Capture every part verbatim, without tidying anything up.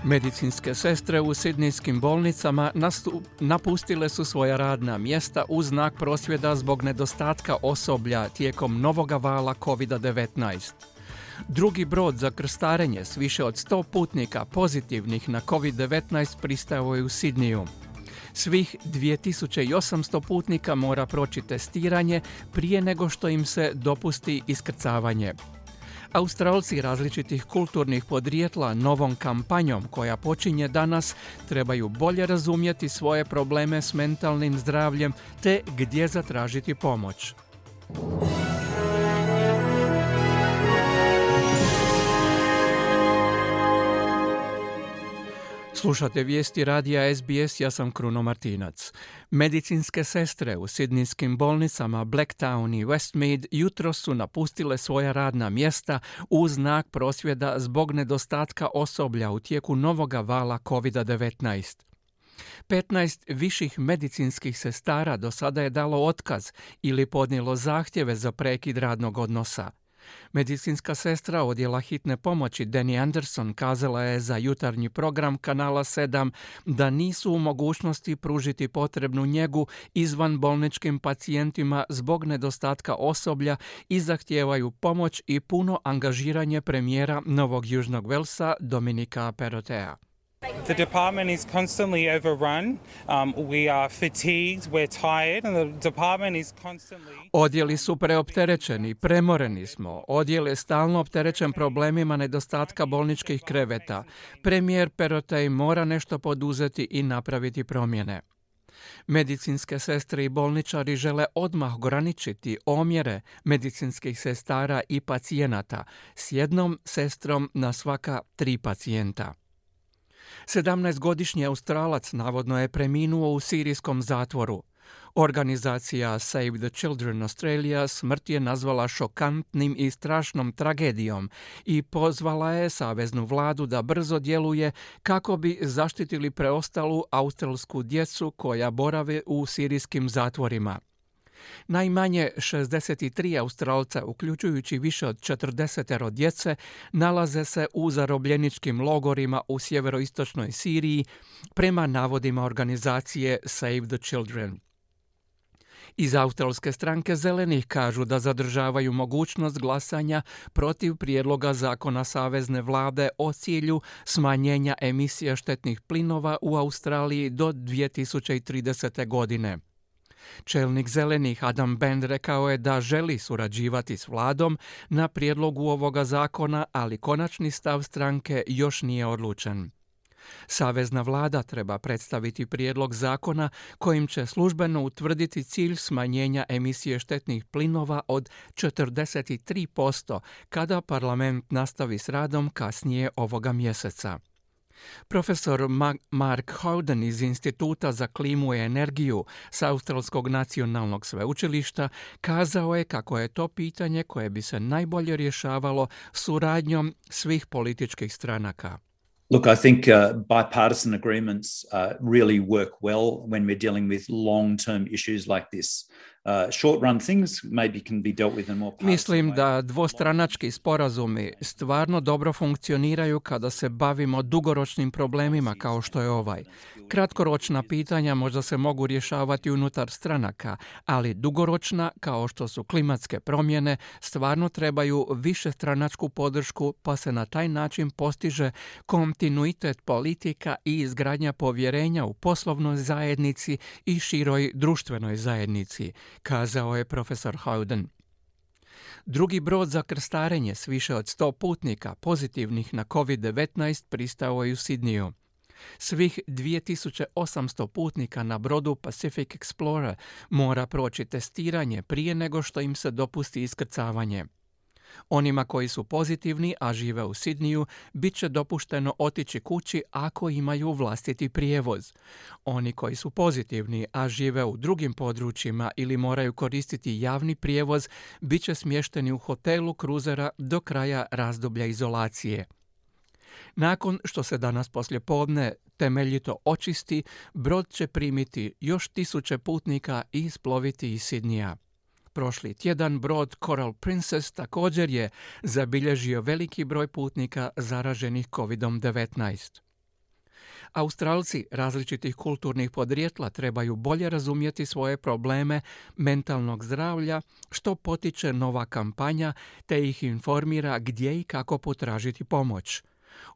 Medicinske sestre u sidnijskim bolnicama nastup, napustile su svoja radna mjesta u znak prosvjeda zbog nedostatka osoblja tijekom novoga vala kovid devetnaest. Drugi brod za krstarenje s više od sto putnika pozitivnih na kovid devetnaest pristao je u Sidniju. Svih dvije tisuće osamsto putnika mora proći testiranje prije nego što im se dopusti iskrcavanje. Australci različitih kulturnih podrijetla novom kampanjom koja počinje danas trebaju bolje razumjeti svoje probleme s mentalnim zdravljem te gdje zatražiti pomoć. Slušate vijesti radija S B S, ja sam Kruno Martinac. Medicinske sestre u sidnijskim bolnicama Blacktown i Westmead jutros su napustile svoja radna mjesta u znak prosvjeda zbog nedostatka osoblja u tijeku novoga vala kovid devetnaest. petnaest viših medicinskih sestara do sada je dalo otkaz ili podnijelo zahtjeve za prekid radnog odnosa. Medicinska sestra odjela hitne pomoći Danny Anderson kazala je za jutarnji program kanala sedam da nisu u mogućnosti pružiti potrebnu njegu izvanbolničkim pacijentima zbog nedostatka osoblja i zahtijevaju pomoć i puno angažiranje premijera Novog Južnog Velsa Dominika Perrottea. The department is constantly overrun. Um, we are fatigued, we're tired, and the department is constantly... Odjeli su preopterećeni, premoreni smo. Odjel je stalno opterećen problemima nedostatka bolničkih kreveta. Premijer Perrottea mora nešto poduzeti i napraviti promjene. Medicinske sestre i bolničari žele odmah ograničiti omjere medicinskih sestara i pacijenata s jednom sestrom na svaka tri pacijenta. sedamnaestogodišnji Australac navodno je preminuo u sirijskom zatvoru. Organizacija Save the Children Australia smrt je nazvala šokantnim i strašnom tragedijom i pozvala je saveznu vladu da brzo djeluje kako bi zaštitili preostalu australsku djecu koja borave u sirijskim zatvorima. Najmanje šezdeset tri Australca, uključujući više od četrdeset djece, nalaze se u zarobljeničkim logorima u sjeveroistočnoj Siriji, prema navodima organizacije Save the Children. Iz australske stranke Zelenih kažu da zadržavaju mogućnost glasanja protiv prijedloga zakona savezne vlade o cilju smanjenja emisija štetnih plinova u Australiji do dvije tisuće tridesete. godine. Čelnik Zelenih Adam Bend rekao je da želi surađivati s vladom na prijedlogu ovoga zakona, ali konačni stav stranke još nije odlučen. Savezna vlada treba predstaviti prijedlog zakona kojim će službeno utvrditi cilj smanjenja emisije štetnih plinova od četrdeset tri posto kada parlament nastavi s radom kasnije ovoga mjeseca. Profesor Mark Howden iz Instituta za klimu i energiju s Australskog nacionalnog sveučilišta kazao je kako je to pitanje koje bi se najbolje rješavalo suradnjom svih političkih stranaka. Look, I think uh, bipartisan agreements uh, really work well when we're dealing with long-term issues like this. Uh, short-run things maybe can be dealt with in more partisan Mislim way. da dvostranački sporazumi stvarno dobro funkcioniraju kada se bavimo dugoročnim problemima kao što je ovaj. Kratkoročna pitanja možda se mogu rješavati unutar stranaka, ali dugoročna, kao što su klimatske promjene, stvarno trebaju višestranačku podršku, pa se na taj način postiže kontinuitet politika i izgradnja povjerenja u poslovnoj zajednici i široj društvenoj zajednici, kazao je profesor Howden. Drugi brod za krstarenje s više od sto putnika pozitivnih na kovid devetnaest pristao je u Sidniju. Svih dvije tisuće osamsto putnika na brodu Pacific Explorer mora proći testiranje prije nego što im se dopusti iskrcavanje. Onima koji su pozitivni, a žive u Sidniju, bit će dopušteno otići kući ako imaju vlastiti prijevoz. Oni koji su pozitivni, a žive u drugim područjima ili moraju koristiti javni prijevoz, bit će smješteni u hotelu kruzera do kraja razdoblja izolacije. Nakon što se danas poslijepodne temeljito očisti, brod će primiti još tisuće putnika i isploviti iz Sidnija. Prošli tjedan brod Coral Princess također je zabilježio veliki broj putnika zaraženih kovid devetnaest. Australci različitih kulturnih podrijetla trebaju bolje razumjeti svoje probleme mentalnog zdravlja, što potiče nova kampanja te ih informira gdje i kako potražiti pomoć.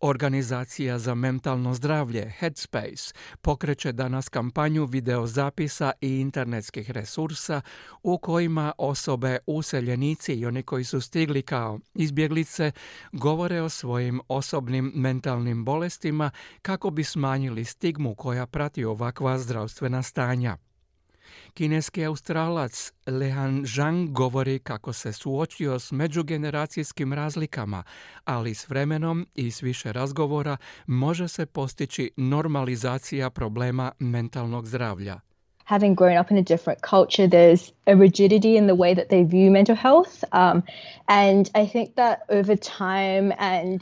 Organizacija za mentalno zdravlje Headspace pokreće danas kampanju videozapisa i internetskih resursa u kojima osobe, useljenici i oni koji su stigli kao izbjeglice govore o svojim osobnim mentalnim bolestima kako bi smanjili stigmu koja prati ovakva zdravstvena stanja. Kineski Australac Lehan Zhang govori kako se suočio s međugeneracijskim razlikama, ali s vremenom i s više razgovora može se postići normalizacija problema mentalnog zdravlja. Having grown up in a different culture, there's a rigidity in the way that they view mental health. Um, and I think that over time and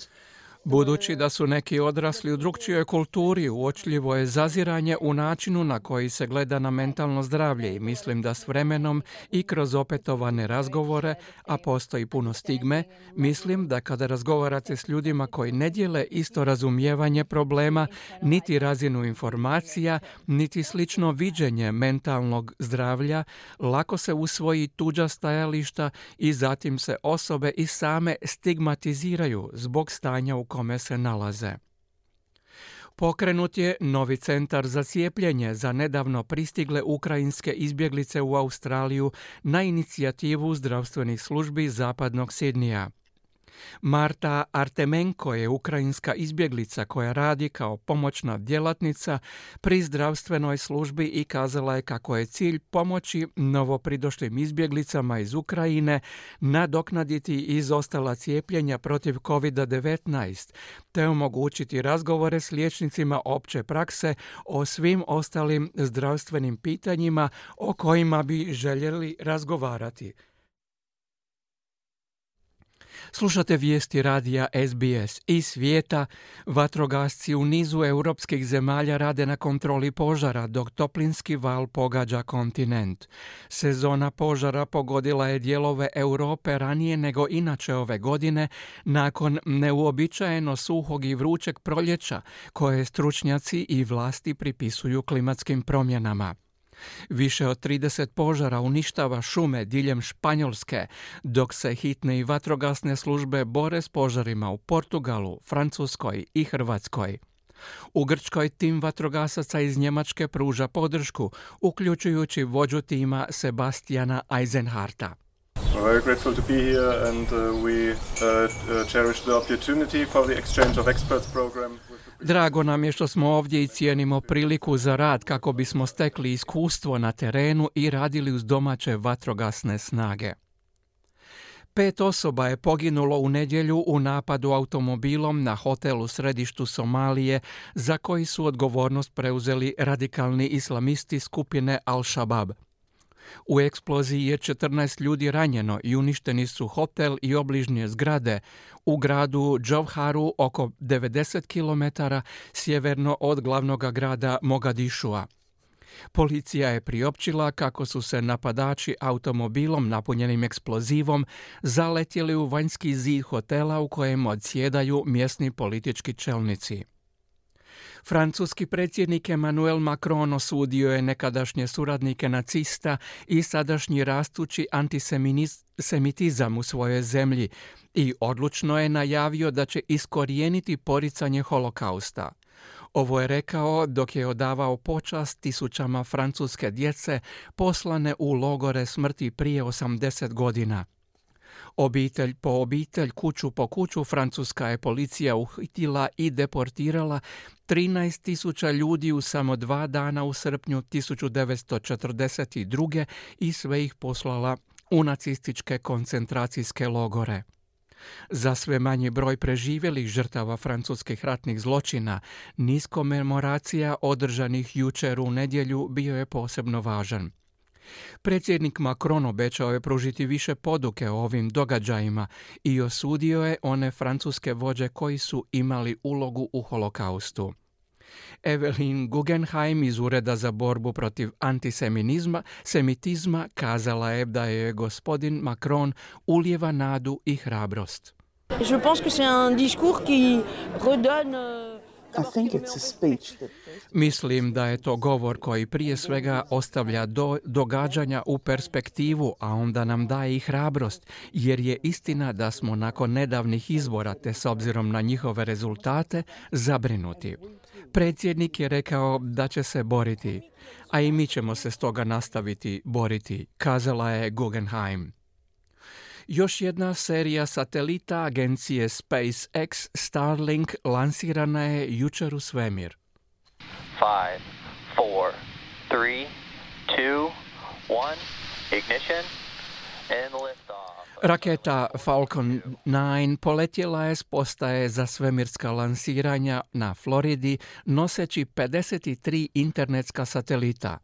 Budući da su neki odrasli u drukčijoj kulturi, uočljivo je zaziranje u načinu na koji se gleda na mentalno zdravlje i mislim da s vremenom i kroz opetovane razgovore, a postoji puno stigme, mislim da kada razgovarate s ljudima koji ne dijele isto razumijevanje problema, niti razinu informacija, niti slično viđenje mentalnog zdravlja, lako se usvoji tuđa stajališta i zatim se osobe i same stigmatiziraju zbog stanja u kome se nalaze. Pokrenut je novi centar za cijepljenje za nedavno pristigle ukrajinske izbjeglice u Australiju na inicijativu zdravstvenih službi zapadnog Sidnija. Marta Artemenko je ukrajinska izbjeglica koja radi kao pomoćna djelatnica pri zdravstvenoj službi i kazala je kako je cilj pomoći novopridošlim izbjeglicama iz Ukrajine nadoknaditi izostala cijepljenja protiv kovid devetnaest te omogućiti razgovore s liječnicima opće prakse o svim ostalim zdravstvenim pitanjima o kojima bi željeli razgovarati. Slušate vijesti radija S B S iz svijeta. Vatrogasci u nizu europskih zemalja rade na kontroli požara dok toplinski val pogađa kontinent. Sezona požara pogodila je dijelove Europe ranije nego inače ove godine nakon neuobičajeno suhog i vrućeg proljeća koje stručnjaci i vlasti pripisuju klimatskim promjenama. Više od trideset požara uništava šume diljem Španjolske, dok se hitne i vatrogasne službe bore s požarima u Portugalu, Francuskoj i Hrvatskoj. U Grčkoj tim vatrogasaca iz Njemačke pruža podršku, uključujući vođu tima Sebastiana Eisenharta. We're very grateful to be here and uh, we uh, uh, cherish the opportunity for the exchange of experts program. Drago nam je što smo ovdje i cijenimo priliku za rad kako bismo stekli iskustvo na terenu i radili uz domaće vatrogasne snage. Pet osoba je poginulo u nedjelju u napadu automobilom na hotel u središtu Somalije za koji su odgovornost preuzeli radikalni islamisti skupine Al-Shabaab. U eksploziji je četrnaest ljudi ranjeno i uništeni su hotel i obližnje zgrade u gradu Džovharu oko devedeset kilometara sjeverno od glavnog grada Mogadišua. Policija je priopćila kako su se napadači automobilom napunjenim eksplozivom zaletjeli u vanjski zid hotela u kojem odsjedaju mjesni politički čelnici. Francuski predsjednik Emmanuel Macron osudio je nekadašnje suradnike nacista i sadašnji rastući antisemitizam u svojoj zemlji i odlučno je najavio da će iskorijeniti poricanje holokausta. Ovo je rekao dok je odavao počast tisućama francuske djece poslane u logore smrti prije osamdeset godina. Obitelj po obitelj, kuću po kuću, francuska je policija uhitila i deportirala trinaest tisuća ljudi u samo dva dana u srpnju tisuću devetsto četrdeset druge i sve ih poslala u nacističke koncentracijske logore. Za sve manji broj preživjelih žrtava francuskih ratnih zločina, niz komemoracija održanih jučer u nedjelju bio je posebno važan. Predsjednik Macron obećao je pružiti više poduke o ovim događajima i osudio je one francuske vođe koji su imali ulogu u holokaustu. Evelyn Guggenheim iz Ureda za borbu protiv antisemitizma semitizma kazala je da je gospodin Macron ulijeva nadu i hrabrost. Je pense que c'est un discours qui redonne I think it's a speech that... Mislim da je to govor koji prije svega ostavlja do, događanja u perspektivu, a onda nam daje i hrabrost, jer je istina da smo nakon nedavnih izbora, te s obzirom na njihove rezultate, zabrinuti. Predsjednik je rekao da će se boriti, a i mi ćemo se stoga nastaviti boriti, kazala je Guggenheim. Još jedna serija satelita agencije SpaceX Starlink lansirana je jučer u svemir. five, four, three, two, one, ignition and lift off. Raketa Falcon devet poletjela je s postaje za svemirska lansiranja na Floridi noseći pedeset tri internetska satelita.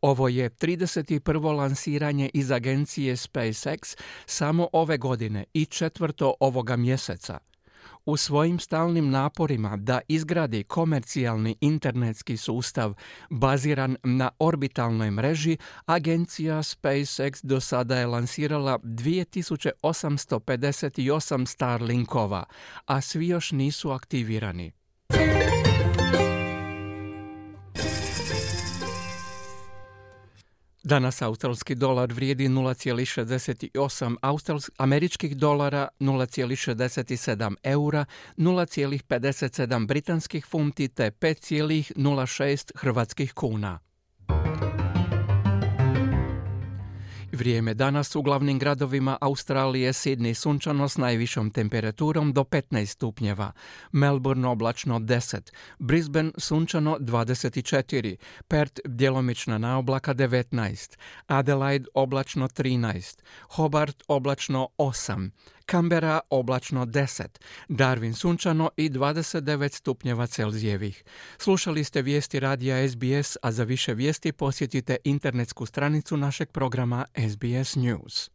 Ovo je trideset prvo lansiranje iz agencije SpaceX samo ove godine i četvrto ovoga mjeseca. U svojim stalnim naporima da izgradi komercijalni internetski sustav baziran na orbitalnoj mreži, agencija SpaceX do sada je lansirala dvije tisuće osamsto pedeset osam Starlinkova, a svi još nisu aktivirani. Danas australski dolar vrijedi nula zarez šezdeset osam australs- američkih dolara, nula zarez šezdeset sedam eura, nula zarez pedeset sedam britanskih funti te pet zarez nula šest hrvatskih kuna. Vrijeme danas u glavnim gradovima Australije: Sydney sunčano s najvišom temperaturom do petnaest stupnjeva, Melbourne oblačno deset, Brisbane sunčano dvadeset četiri, Perth djelomična naoblaka devetnaest, Adelaide oblačno trinaest, Hobart oblačno osam, Canberra oblačno deset, Darwin sunčano i dvadeset devet stupnjeva Celzijevih. Slušali ste vijesti radija S B S, a za više vijesti posjetite internetsku stranicu našeg programa S B S News.